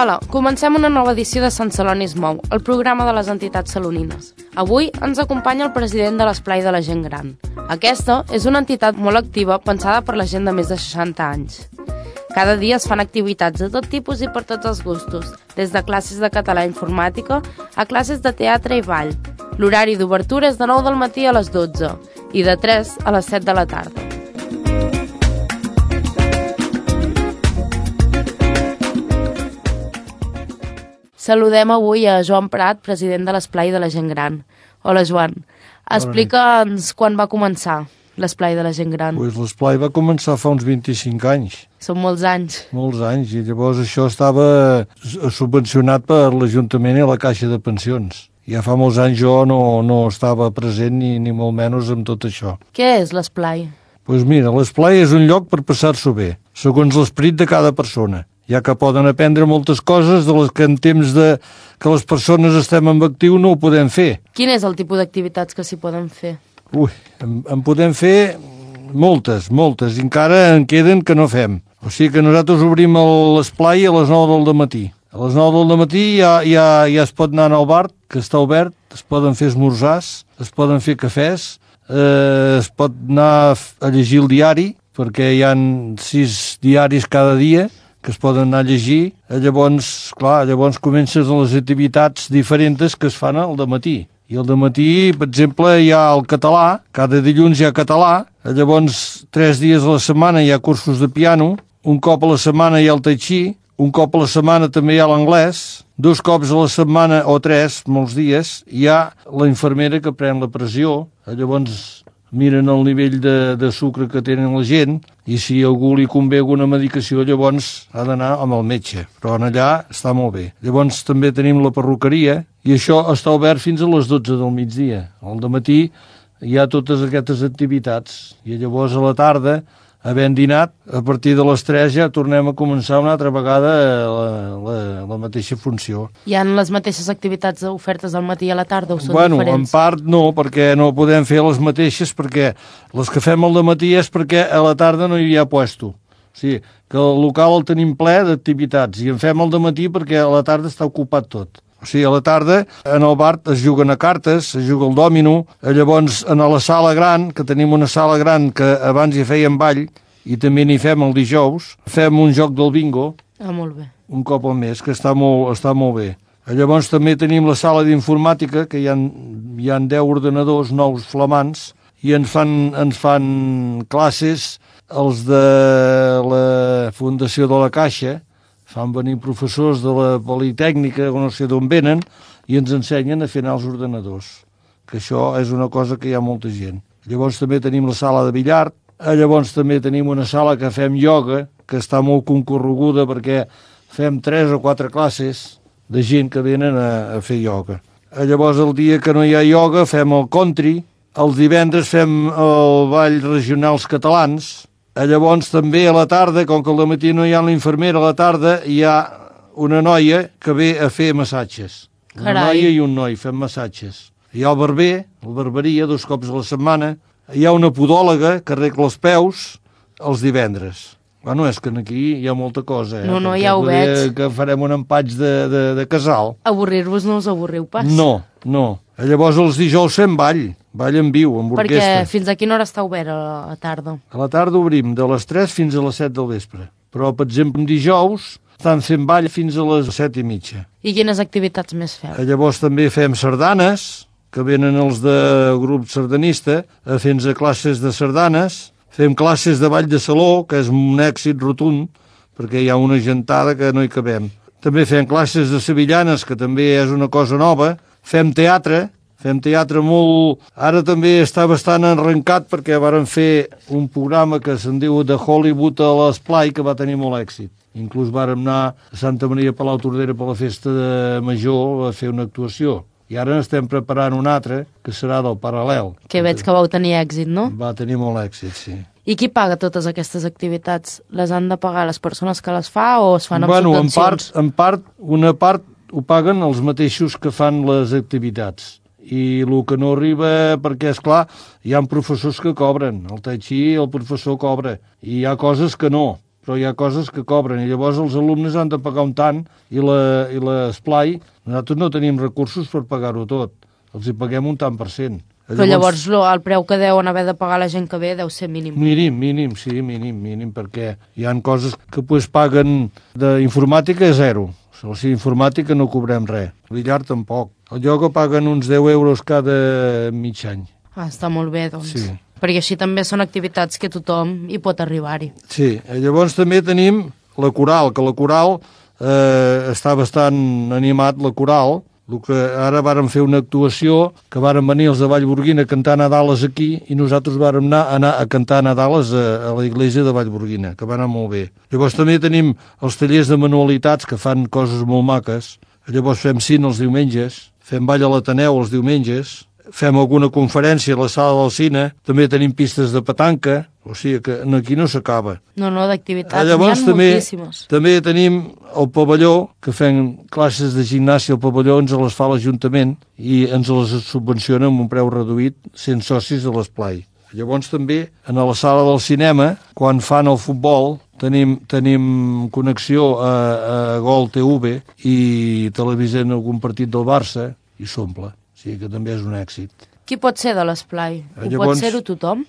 Hola, comencem una nova edició de Sant Celoni es mou, el programa de les entitats salonines. Avui ens acompanya el president de l'Esplai de la Gent Gran. Aquesta és una entitat molt activa pensada per la gent de més de 60 anys. Cada dia es fan activitats de tot tipus i per tots els gustos, des de classes de català i informàtica a classes de teatre i ball. L'horari d'obertura és de 9 del matí a les 12 i de 3 a les 7 de la tarda. Saludem avui a Joan Prat, president de l'Esplai de la Gent Gran. Hola, Joan. Explica'ns quan va començar l'Esplai de la Gent Gran. Pues l'Esplai va començar fa uns 25 anys. Són molts anys. Molts anys, i llavors això estava subvencionat per l'Ajuntament i la Caixa de Pensions. Ja fa molts anys jo no estava present ni molt menys amb tot això. Què és l'Esplai? Pues mira, l'Esplai és un lloc per passar-s'ho bé, segons l'esperit de cada persona, ja que poden aprendre moltes coses de les que en temps que les persones estem en actiu no ho podem fer. Quin és el tipus d'activitats que s'hi poden fer? En podem fer moltes, i encara en queden que no fem. O sigui que nosaltres obrim l'Esplai a les 9 del matí. A les 9 del matí ja es pot anar al bar, que està obert, es poden fer esmorzars, es poden fer cafès, es pot anar a llegir el diari, perquè hi ha 6 diaris cada dia que es poden anar a llegir. Llavors comencen les activitats diferents que es fan al dematí. I al dematí, per exemple, hi ha el català, cada dilluns hi ha català, llavors 3 dies a la setmana hi ha cursos de piano, un cop a la setmana hi ha el tai chi, un cop a la setmana també hi ha l'anglès, 2 cops a la setmana o 3, molts dies, hi ha la infermera que pren la pressió, llavors miren el nivell de sucre que tenen la gent i si a algú li convé alguna medicació llavors ha d'anar amb el metge, però allà està molt bé. Llavors també tenim la perruqueria i això està obert fins a les 12 del migdia. Al dematí hi ha totes aquestes activitats i llavors a la tarda, havent dinat, a partir de les 3 ja tornem a començar una altra vegada la mateixa funció. Hi ha les mateixes activitats ofertes al matí i a la tarda o són diferents? En part no, perquè no podem fer les mateixes, perquè les que fem al dematí és perquè a la tarda no hi ha puesto. O sigui, que el local el tenim ple d'activitats i en fem al dematí perquè a la tarda està ocupat tot. O sigui, a la tarda, en el bar es juguen a cartes, es juga al dòmino, llavors a la sala gran, que tenim una sala gran que abans hi fèiem ball, i també n'hi fem el dijous, fem un joc del bingo, molt bé. Un cop al mes, que està molt bé. Llavors també tenim la sala d'informàtica, que hi ha 10 ordenadors nous flamants, i ens fan classes els de la Fundació de la Caixa, fan venir professors de la Politècnica, o no sé d'on venen, i ens ensenyen a fer anar els ordenadors, que això és una cosa que hi ha molta gent. Llavors també tenim la sala de billar, llavors també tenim una sala que fem ioga, que està molt concorreguda perquè fem 3 o 4 classes de gent que venen a fer ioga. Llavors el dia que no hi ha ioga fem el country, els divendres fem el ball regionals catalans. Llavors també a la tarda, com que al matí no hi ha la infermera, a la tarda hi ha una noia que ve a fer massatges. Una noia i un noi fem massatges. Hi ha el barber, la barberia, 2 cops a la setmana. Hi ha una podòloga que arregla els peus els divendres. Bueno, és que aquí hi ha molta cosa. No, ja ho veig. Que farem un empatx de casal. Avorrir-vos no us avorriu pas? No. Llavors els dijous fem ball en viu, amb orquestra. Perquè fins a quina hora està obert a la tarda? A la tarda obrim de les 3 fins a les 7 del vespre. Però, per exemple, dijous estan fent ball fins a les 7:30. I quines activitats més feu? Llavors també fem sardanes, que venen els de grup sardanista a fer-nos classes de sardanes. Fem classes de ball de saló, que és un èxit rotund, perquè hi ha una gentada que no hi cabem. També fem classes de sevillanes, que també és una cosa nova. Fem teatre molt... Ara també està bastant arrencat perquè varen fer un programa que se'n diu de Hollywood a l'Esplai, que va tenir molt èxit. Inclús vàrem anar a Santa Maria Palau Tordera per la festa de Major a fer una actuació. I ara estem preparant un altre, que serà del Paral·lel. Que veig que vau tenir èxit, no? Va tenir molt èxit, sí. I qui paga totes aquestes activitats? Les han de pagar les persones que les fa o es fan amb subvencions? Una part ho paguen els mateixos que fan les activitats. I el que no arriba, perquè, és clar, hi ha professors que cobren. El tai chi, el professor cobra. I hi ha coses que no. però hi ha coses que cobren, i llavors els alumnes han de pagar un tant, i l'esplai, nosaltres no tenim recursos per pagar-ho tot, els hi paguem un tant per cent. Però llavors el preu que deuen haver de pagar la gent que ve deu ser mínim. Mínim, perquè hi han coses que paguen d'informàtica a zero. O sigui, informàtica no cobrem res. Billar tampoc. El ioga paguen uns 10 euros cada mig any. Està molt bé, doncs. Sí. Perquè així també són activitats que tothom hi pot arribar-hi. Sí, llavors també tenim la coral, que la coral està bastant animat, la coral. El que ara vàrem fer una actuació, que vàrem venir els de Vallborguina a cantar Nadales aquí, i nosaltres vàrem anar a cantar Nadales a la iglesia de Vallborguina, que va anar molt bé. Llavors també tenim els tallers de manualitats, que fan coses molt maques. Llavors fem cine els diumenges, fem ball a l'Ateneu els diumenges, fem alguna conferència a la sala del cine, també tenim pistes de petanca, o sigui que aquí no s'acaba. No, d'activitats n'hi ha moltíssimes. També tenim el pavelló, que fem classes de gimnàsia al pavelló, ens les fa l'Ajuntament i ens les subvenciona amb un preu reduït, 100 socis de l'esplai. Llavors també, a la sala del cinema, quan fan el futbol, tenim connexió a Gol TV i televisent algun partit del Barça i s'omple. O sigui que també és un èxit. Qui pot ser de l'esplai? Pot ser-ho tothom?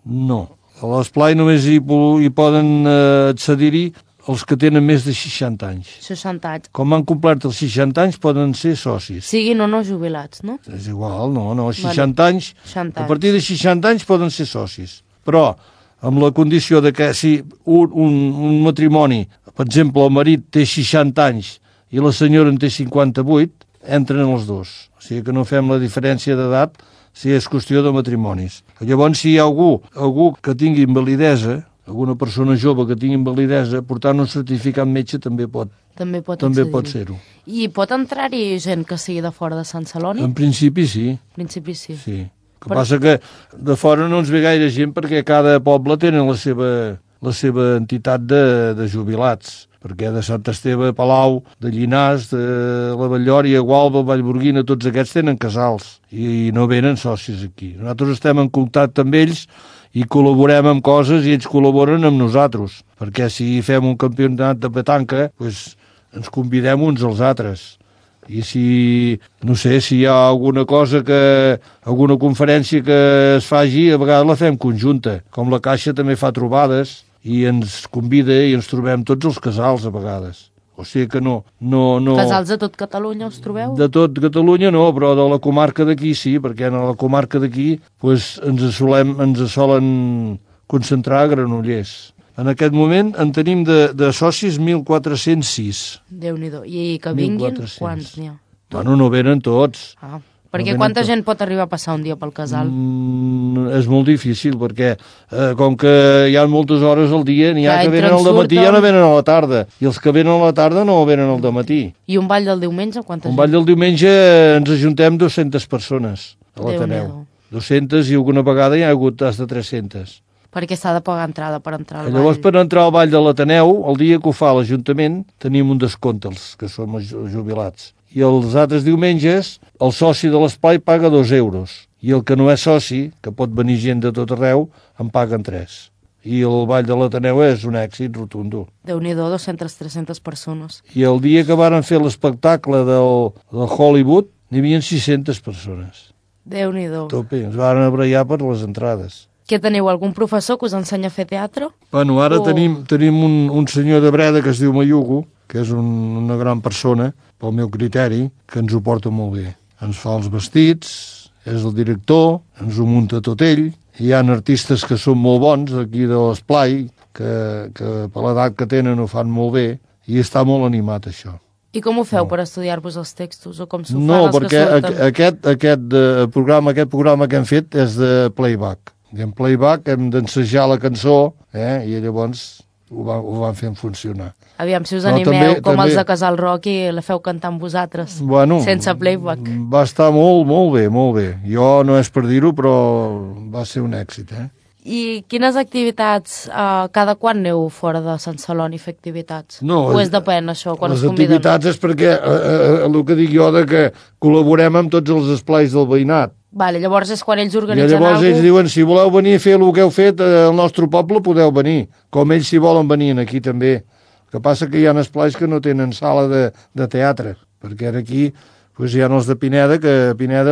No. A l'esplai només hi poden accedir-hi els que tenen més de 60 anys. 60 anys. Com han complert els 60 anys poden ser socis. Siguin o no jubilats, no? És igual, no. 60 anys. A partir de 60 anys poden ser socis. Però amb la condició de que si un matrimoni, per exemple, el marit té 60 anys i la senyora en té 58, entren els dos. O sigui que no fem la diferència d'edat si és qüestió de matrimonis. Llavors, si hi ha algú que tingui invalidesa, alguna persona jove que tingui invalidesa, portant un certificat metge també pot ser-ho. I pot entrar-hi gent que sigui de fora de Sant Celoni? En principi sí. En principi sí. Sí. El que passa que de fora no ens ve gaire gent perquè cada poble tenen la seva entitat de jubilats, perquè de Sant Esteve, Palau, de Llinars, de la Batllòria, Gualba, Vallborguina, tots aquests tenen casals i no venen socis aquí. Nosaltres estem en contacte amb ells i col·laborem amb coses i ells col·laboren amb nosaltres, perquè si fem un campionat de petanca, doncs ens convidem uns als altres. I si hi ha alguna cosa alguna conferència que es faci, a vegades la fem conjunta. Com la Caixa també fa trobades i ens convida i ens trobem tots els casals a vegades. O sigui que no... Casals de tot Catalunya us trobeu? De tot Catalunya no, però de la comarca d'aquí sí, perquè en la comarca d'aquí ens solen concentrar a Granollers. En aquest moment en tenim de socis 1.406. Déu-n'hi-do. I que vinguin, quants n'hi ha? Bueno, no venen tots. Perquè quanta gent pot arribar a passar un dia pel casal? És molt difícil, perquè com que hi ha moltes hores al dia, n'hi ha que venen al dematí i ja no venen a la tarda. I els que venen a la tarda no venen al dematí. I un ball del diumenge, quanta gent? Un ball del diumenge ens ajuntem 200 persones a l'Ateneu. 200 i alguna vegada hi ha hagut fins de 300. Perquè s'ha de pagar entrada per entrar al ball. Llavors, per entrar al ball de l'Ateneu, el dia que ho fa l'Ajuntament, tenim un descompte, els que som jubilats. I els altres diumenges, el soci de l'esplai paga 2 euros. I el que no és soci, que pot venir gent de tot arreu, en paguen 3. I el ball de l'Ateneu és un èxit rotundo. Déu-n'hi-do, 200-300 persones. I el dia que varen fer l'espectacle del Hollywood, n'hi havia 600 persones. Déu-n'hi-do. Tope, ens varen abraiar per les entrades. Què teniu, algun professor que us ensenya a fer teatre? Bueno, ara tenim un senyor de Breda que es diu Mayugo, que és una gran persona, pel meu criteri, que ens ho porta molt bé. Ens fa els vestits, és el director, ens ho munta tot ell. Hi ha artistes que són molt bons aquí de l'esplai, que per l'edat que tenen ho fan molt bé, i està molt animat això. I com ho feu per estudiar-vos els textos? O com s'ho fan els que surten? No, perquè aquest programa que hem fet és de playback. I en playback hem d'ensejar la cançó i llavors ho van fent funcionar. Aviam, si us animeu com els de Casal Roc i la feu cantar amb vosaltres, sense playback. Va estar molt bé, molt bé. Jo no és per dir-ho, però va ser un èxit. I quines activitats, cada quan aneu fora de Sant Celoni a fer activitats? No, o és depèn, això, quan les us conviden? activitats és perquè, el que dic jo, de que col·laborem amb tots els esplais del veïnat. Vale, llavors és quan ells I organitzen llavors alguna ells cosa. diuen, si voleu venir a fer el que heu fet al nostre poble, podeu venir. Com ells si volen venir aquí també. El que passa que hi ha esplais que no tenen sala de teatre, perquè ara aquí hi ha els de Pineda, que a Pineda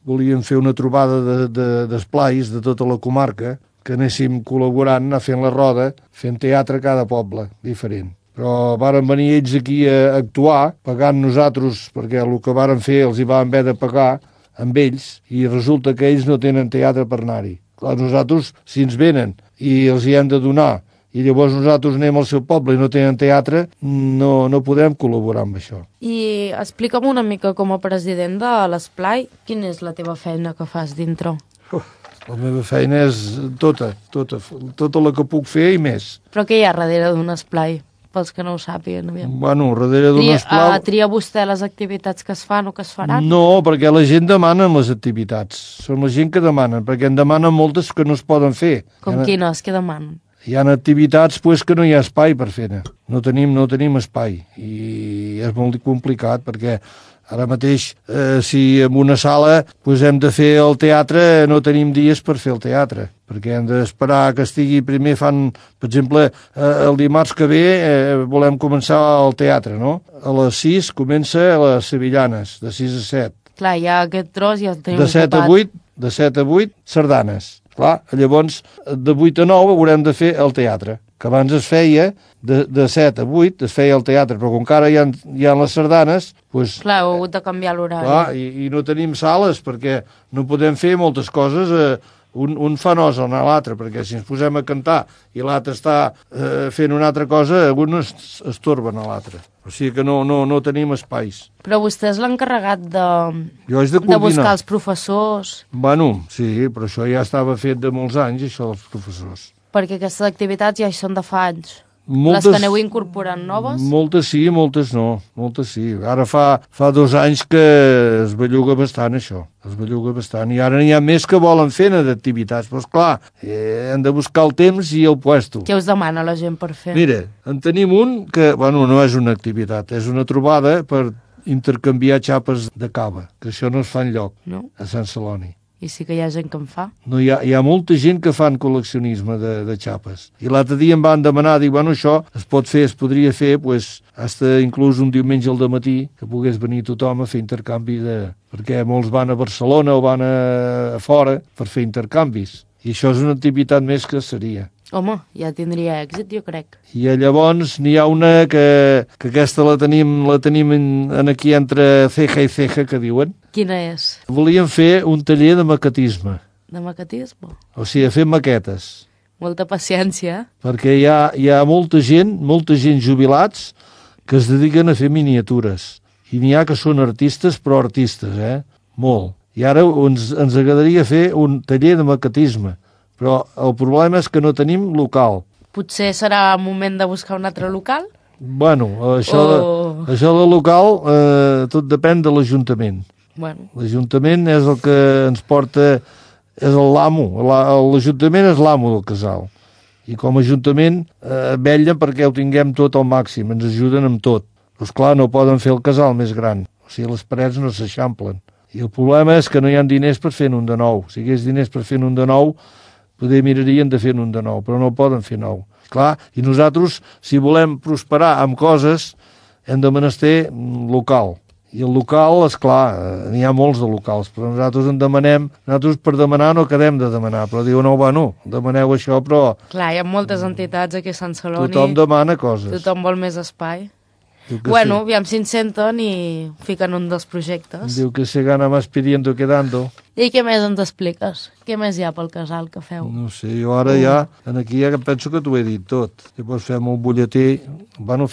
volien fer una trobada d'esplais de tota la comarca, que anéssim col·laborant, anar fent la roda, fent teatre a cada poble, diferent. Però varen venir ells aquí a actuar, pagant nosaltres, perquè el que varen fer els hi van haver de pagar amb ells, i resulta que ells no tenen teatre per anar-hi. Clar, nosaltres, si ens venen i els hi hem de donar, i llavors nosaltres anem al seu poble i no tenen teatre, no podem col·laborar amb això. I explica'm una mica, com a president de l'Esplai, quina és la teva feina que fas dintre? La meva feina és tota la que puc fer i més. Però què hi ha darrere d'un esplai, pels que no ho sàpiguen? Bueno, darrere d'un esplai... Tria vostè les activitats que es fan o que es faran? No, perquè la gent demana les activitats. Són la gent que demanen, perquè en demanen moltes que no es poden fer. Com quines? Què demanen? Hi ha activitats que no hi ha espai per fer-ne. No tenim espai i és molt complicat perquè ara mateix, si en una sala hem de fer el teatre, no tenim dies per fer el teatre, perquè hem d'esperar que estigui primer per exemple, el dimarts que ve volem començar el teatre, no? A les 6 comença a les Sevillanes, de 6 a 7. Clar, ja aquest tros ja el tenim ocupat. De 7 a 8, sardanes. Clar, llavors, de 8 a 9 haurem de fer el teatre, que abans es feia de 7 a 8, es feia el teatre, però com que ara hi ha les sardanes... Clar, heu hagut de canviar l'horari. Clar, i no tenim sales, perquè no podem fer moltes coses... Un fa nosa a l'altre, perquè si ens posem a cantar i l'altre està fent una altra cosa, un es torben a l'altre. O sigui que no tenim espais. Però vostè és l'encarregat de buscar els professors. Bueno, sí, però això ja estava fet de molts anys, això dels professors. Perquè aquestes activitats ja hi són de fa anys. Les que aneu incorporant noves? Moltes sí, moltes no. Moltes sí. Ara fa 2 anys que es belluga bastant, això. Es belluga bastant. I ara n'hi ha més que volen fer d'activitats. Però, esclar, hem de buscar el temps i el puesto. Què us demana la gent per fer? Mira, en tenim un que, bueno, no és una activitat, és una trobada per intercanviar xapes de cava, que això no es fa enlloc, no? A Sant Celoni. I sí que hi ha gent que en fa? No, hi ha molta gent que fan col·leccionisme de xapes. I l'altre dia em van demanar, dic, bueno, això es podria fer, hasta inclús un diumenge al dematí, que pogués venir tothom a fer intercanvi perquè molts van a Barcelona o van a fora per fer intercanvis. I això és una activitat més que seria. Home, ja tindria èxit, jo crec. I llavors n'hi ha una que aquesta la tenim aquí entre ceja i ceja, que diuen. Quina és? Volíem fer un taller de maquetisme. De maquetisme? O sigui, fer maquetes. Molta paciència. Perquè hi ha molta gent jubilats, que es dediquen a fer miniatures. I n'hi ha que són artistes, però artistes, molt. I ara ens agradaria fer un taller de maquetisme. Però el problema és que no tenim local. Potser serà moment de buscar un altre local? Bueno, això del local tot depèn de l'Ajuntament. Bueno. L'Ajuntament és el que ens porta, és l'amo. L'Ajuntament és l'amo del casal. I com a Ajuntament vetllen perquè ho tinguem tot al màxim, ens ajuden amb tot. Però esclar, no poden fer el casal més gran. O sigui, les parets no s'eixamplen. I el problema és que no hi ha diners per fer un de nou. Si hi hagués diners per fer un de nou, poder mirarien de fer un de nou, però no poden fer nou. Clar, i nosaltres, si volem prosperar amb coses, hem de menester local. I el local, esclar, n'hi ha molts de locals, però nosaltres nosaltres per demanar no quedem de demanar, però diuen, no, bueno, demaneu això, però... Clar, hi ha moltes entitats aquí a Sant Celoni. Tothom demana coses. Tothom vol més espai. Bueno, aviam si ens senten i fiquen un dels projectes. Diu que se gana más pidiendo que dando. I què més ens expliques? Què més hi ha pel casal que feu? No sé, jo ara aquí ja penso que t'ho he dit tot. Llavors fem un butlletí,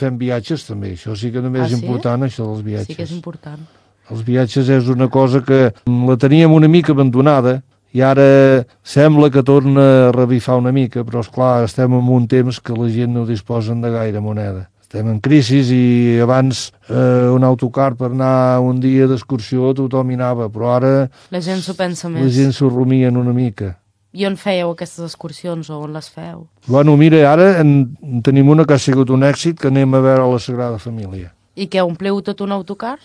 fem viatges també, això sí que també és important, això dels viatges. Sí que és important. Els viatges és una cosa que la teníem una mica abandonada, i ara sembla que torna a revifar una mica, però esclar, estem en un temps que la gent no disposen de gaire moneda. Estem en crisi i abans un autocar per anar un dia d'excursió tothom hi anava, però ara... La gent s'ho pensa més. La gent s'ho rumien una mica. I on fèieu aquestes excursions o on les feu? Bueno, mira, ara en tenim una que ha sigut un èxit, que anem a veure la Sagrada Família. I què, ompleu tot un autocar?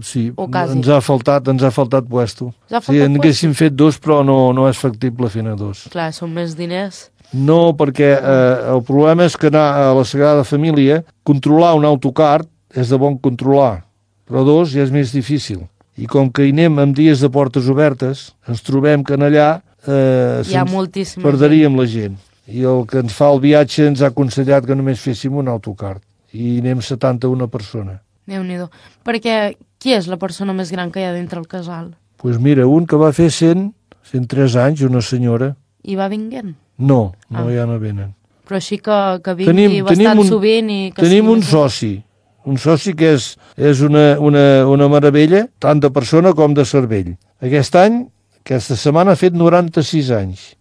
Sí, O quasi. ens ha faltat puesto. Us ha Sí, faltat en haguéssim fet 2, però no és factible fer-ne 2. Clar, són més diners. No, perquè el problema és que anar a la Sagrada Família, controlar un autocar és de bon controlar, però 2 ja és més difícil. I com que hi anem amb dies de portes obertes, ens trobem que en allà Hi ha moltíssima perderíem la gent. I el que ens fa el viatge ens ha aconsellat que només féssim un autocar. I anem 71 persona. Déu-n'hi-do. Perquè qui és la persona més gran que hi ha dintre el casal? Doncs pues mira, un que va fer 103 anys, una senyora. I va vinguent? No, ja no venen. Però així que vingui bastant sovint i que tenim un soci que és una meravella, tant de persona com de cervell. Aquesta setmana ha fet 96 anys.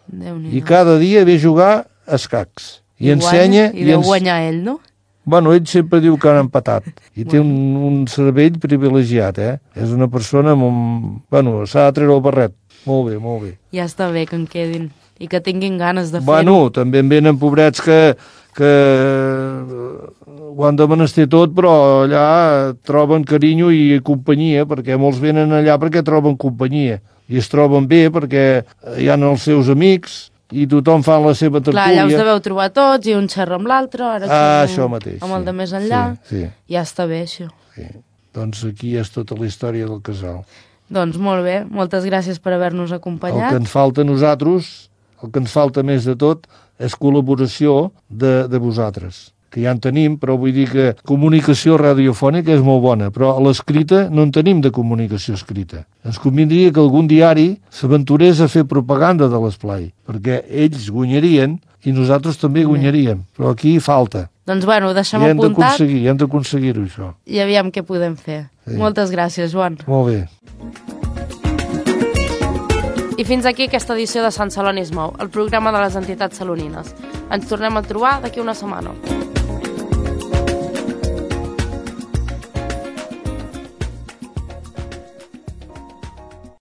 I cada dia ve a jugar a escacs. I ensenya... I deu guanyar ell, no? Bueno, ell sempre diu que han empatat. I té un cervell privilegiat, És una persona... Bueno, s'ha de treure el barret. Molt bé, molt bé. Ja està bé que en quedin. I que tinguin ganes de fer-ho. Bueno, també en venen pobrets que ho han de menester tot, però allà troben carinyo i companyia, perquè molts venen allà perquè troben companyia. I es troben bé perquè hi ha els seus amics i tothom fa la seva tertúlia. Clar, allà us deveu trobar tots i un xerra amb l'altre, això mateix, amb el de més enllà. Sí. Ja està bé, això. Sí. Doncs aquí és tota la història del casal. Doncs molt bé, moltes gràcies per haver-nos acompanyat. El que ens falta a nosaltres, el que ens falta més de tot, és col·laboració de vosaltres, que ja en tenim, però vull dir que comunicació radiofònica és molt bona, però a l'escrita no en tenim de comunicació escrita. Ens convindria que algun diari s'aventurés a fer propaganda de l'esplai, perquè ells guanyarien i nosaltres també guanyaríem, però aquí falta. Doncs bueno, ho deixem apuntat. I hem d'aconseguir-ho, això. I aviam què podem fer. Sí. Moltes gràcies, Joan. Molt bé. I fins aquí aquesta edició de Sant Celoni es mou, el programa de les entitats salonines. Ens tornem a trobar d'aquí una setmana.